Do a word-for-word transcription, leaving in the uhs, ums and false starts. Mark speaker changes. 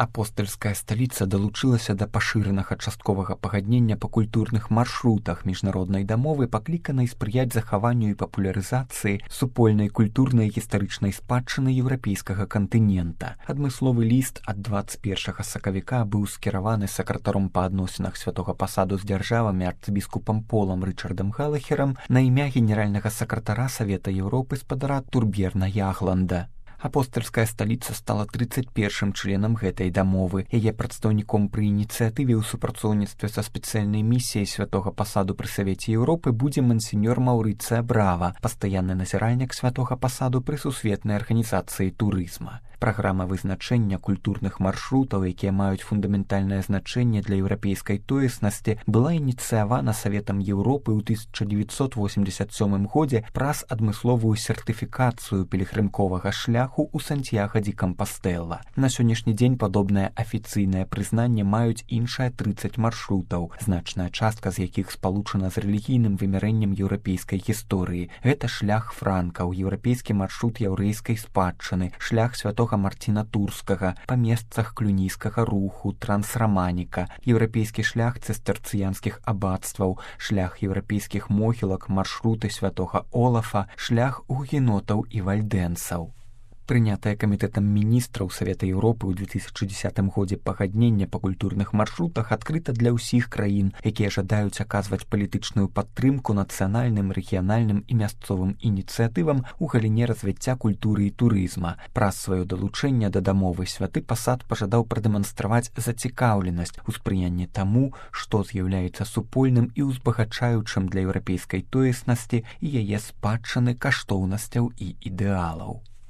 Speaker 1: Апостальская сталіца далучылася да пашыранага частковага пагаднення па культурных маршрутах міжнароднай дамовы, пакліканай спрыяць захаванню і папулярызацыі супольнай культурнай і гістарычнай спадчыны еўрапейскага кантынента. Адмысловы ліст ад дваццаць першага сакавіка быў скіраваны сакратаром па адносінах святога пасаду з дзяржавамі арцыбіскупам Полам Рычардам Галахерам на імя генеральнага сакратара Савета Еўропы спадара Турберна Ягланда. Апостальская сталіца стала трыццаць першым членам гэтай дамовы. Яе прадстаўніком пры ініцыятыве ў супрацоўніцтве са спецыяльнай місіяй святога пасаду пры Савеце Еўропы будзе мансіньор Маўрыцыя Брава, пастаянны назіральнік святога пасаду пры сусветнай арганізацыі турызма. Праграма вызначэння культурных маршрутаў, якія маюць фундаментальнае значэнне для еўрапейскай тоеснасці, была ініцыявана Саветам Еўропы ў тысяча дзевяцьсот восемьдесят сёмым годзе праз адмысловую сертыфікацыю пілігрымковага шляху ў Сантьяго ді Кампастэла. На сённяшні дзень падобнае афіцыйнае прызнанне маюць іншыя трыццаць маршрутаў, значная частка з якіх спалучана з рэлігійным вымярэннем еўрапейскай гісторыі. Гэта шлях франкаў, еўрапейскі маршрут яўрэйскай спадчыны, шлях святога Марціна Турскага, па месцах клюнійскага руху, трансраманіка, еўрапейскі шлях цыстэрцыянскіх абацтваў, шлях еўрапейскіх могілак, маршруты святога Олафа, шлях гугенотаў і вальдэнцаў. Прынятае камітэтам міністраў Савета Еўропы ў две тысячы дзесятым годзе пагаднення па культурных маршрутах адкрыта для ўсіх краін, якія жадаюць аказваць палітычную падтрымку нацыянальным, рэгіянальным і мясцовым ініцыятывам у галіне развіцця культуры і турызма. Праз сваё далучэнне да дамовы святы пасад пажадаў прадэманстраваць зацікаўленасць у спрыянні таму, што з'яўляецца супольным і ўзбагачаючым для еўрапейскай тоеснасці і яе спадчыны каштоўнасцяў і ідэалаў.